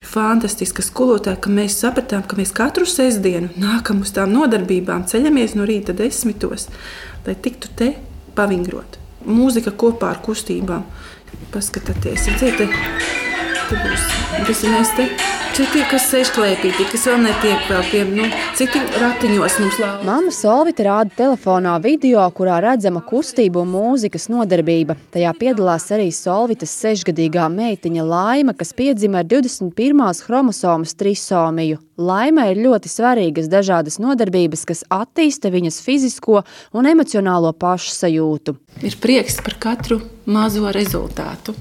fantastiska skolotāja, ka mēs sapratām, ka mēs katru sestdienu nākam uz tām nodarbībām, ceļamies no rīta 10, lai tiktu te pavingrot. Mūzika kopā ar kustībām. Paskatieties, te būs. Tas ir mēs te. Tie, kas sēž klēpītī, kas vēl netiek vēl pie, citi ratiņos mums lāva. Mamma Solvita rāda telefonā video, kurā redzama kustību un mūzikas nodarbība. Tajā piedalās arī Solvitas 6-gadīgā meitiņa Laima, kas piedzima ar 21. chromosomas trisomiju. Laimai ir ļoti svarīgas dažādas nodarbības, kas attīsta viņas fizisko un emocionālo pašsajūtu. Ir prieks par katru mazo rezultātu,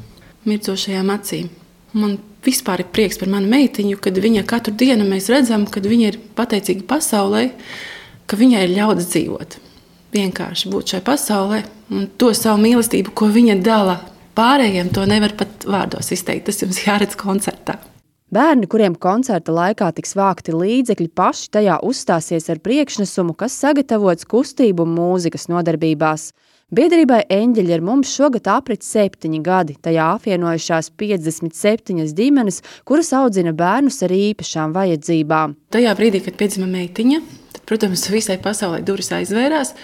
mircošajām acīm. Man vispār ir prieks par manu meitiņu, kad viņa katru dienu mēs redzam, kad viņa ir pateicīga pasaulē, ka viņai ir ļauts dzīvot. Vienkārši būt šai pasaulē un to savu mīlestību, ko viņa dala pārējiem, to nevar pat vārdos izteikt. Tas jums jāredz koncertā. Bērni, kuriem koncerta laikā tiks vākti līdzekļi, paši tajā uzstāsies ar priekšnesumu, kas sagatavots kustību un mūzikas nodarbībās. Biedrībai Eņģeļi ar mums šogad aprit 7 gadi. Tajā apvienojušās 57 ģimenes, kuras audzina bērnus ar īpašām vajadzībām. Tajā brīdī, kad piedzima meitiņa, tad, protams, visai pasaulē durvis aizvērās,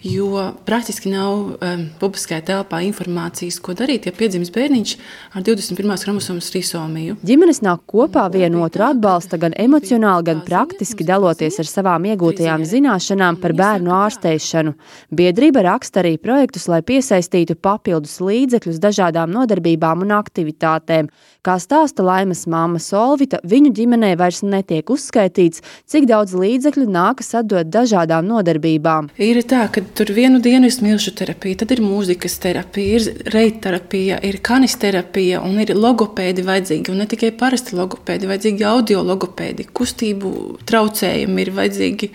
jo praktiski nav publiskajā telpā informācijas, ko darīt, ja piedzimis bērniņš ar 21. chromosomas trisomiju. Ģimenes nāk kopā vienotru atbalsta gan emocionāli, gan praktiski daloties ar savām iegūtajām zināšanām par bērnu ārsteišanu. Biedrība raksta arī projektus, lai piesaistītu papildus līdzekļus dažādām nodarbībām un aktivitātēm. Kā stāsta Laimas mamma Solvita, viņu ģimenē vairs netiek uzskaitīts, cik daudz līdzekļu nākas atdot dažādām nodarbībām. Ir tā, ka tur vienu dienu ir smilšu terapija, tad ir mūzikas terapija, ir reitterapija, ir kanisterapija un ir logopēdi vajadzīgi. Un ne tikai parasti logopēdi, vajadzīgi audio logopēdi, kustību traucējumi, ir vajadzīgi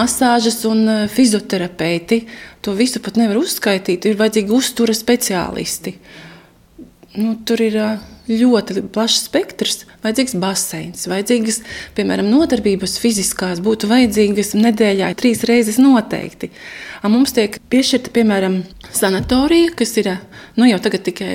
masāžas un fizioterapeiti. To visu pat nevar uzskaitīt, ir vajadzīgi uztura speciālisti. Tur ir ļoti plašs spektrs, vajadzīgs baseins, vajadzīgas, piemēram, nodarbības fiziskās būtu vajadzīgas nedēļā 3 reizes noteikti. Mums tiek piešķirta, piemēram, sanatorija, kas ir jau tagad tikai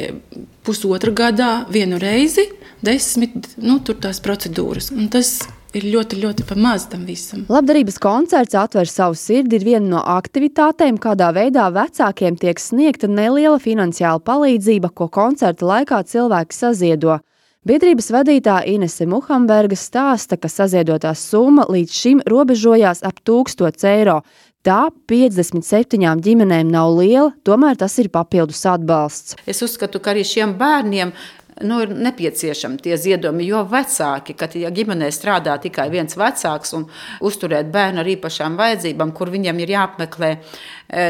1,5 gadā 1 reizi, 10, tur tās procedūras. Un tas ir ļoti, ļoti pamaz tam visam. Labdarības koncerts Atver savu sirdi ir viena no aktivitātēm, kādā veidā vecākiem tiek sniegta neliela finansiāla palīdzība, ko koncerta laikā cilvēki saziedo. Biedrības vadītāja Inese Muhamberga stāsta, ka saziedotā summa līdz šim robežojās ap 1000 eiro. Tā 57 ģimenēm nav liela, tomēr tas ir papildus atbalsts. Es uzskatu, ka arī šiem bērniem ir nepieciešami tie ziedojumi, jo vecāki, kad ģimenē strādā tikai viens vecāks un uzturēt bērnu ar īpašām vajadzībām, kur viņam ir jāapmeklē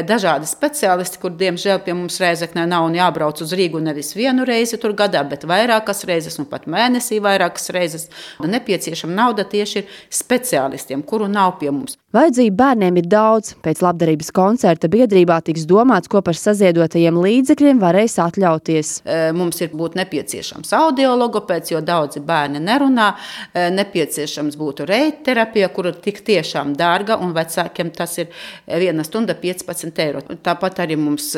dažādi speciālisti, kur diemžēl pie mums Rēzeknē nav un jābrauc uz Rīgu nevis 1 reizi tur gadā, bet vairākas reizes un pat mēnesī vairākas reizes. Nepieciešama nauda tieši ir speciālistiem, kuru nav pie mums. Vajadzību bērniem ir daudz. Pēc labdarības koncerta biedrībā tiks domāts, ko par saziedotajiem līdzekļiem varēs atļauties. Mums ir būt nepieciešams audiologopēds, jo daudzi bērni nerunā. Nepieciešams būtu reitterapija, kura tik tiešām dārga, un vecākiem tas ir 1 stunda 15 eiro. Tāpat arī mums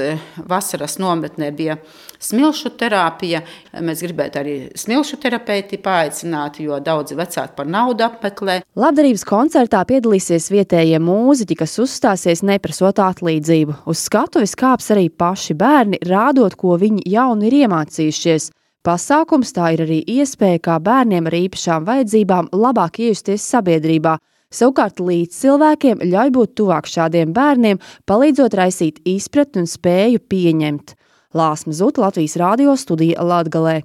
vasaras nometnē bija smilšu terapija. Mēs gribētu arī smilšu terapeiti paaicināt, jo daudzi vecāki par naudu apmeklē. Labdarības koncertā piedalīsies vietējie mūziķi, kas uzstāsies neprasot atlīdzību. Uz skatuves kāps arī paši bērni, rādot, ko viņi jauni ir iemācījušies. Pasākums tā ir arī iespēja, kā bērniem ar īpašām vajadzībām labāk iejusties sabiedrībā. Savukārt līdz cilvēkiem ļauj būt tuvāk šādiem bērniem, palīdzot raisīt izpratni un spēju pieņemt. Lāsma Zuta, Latvijas radio studija Latgalē.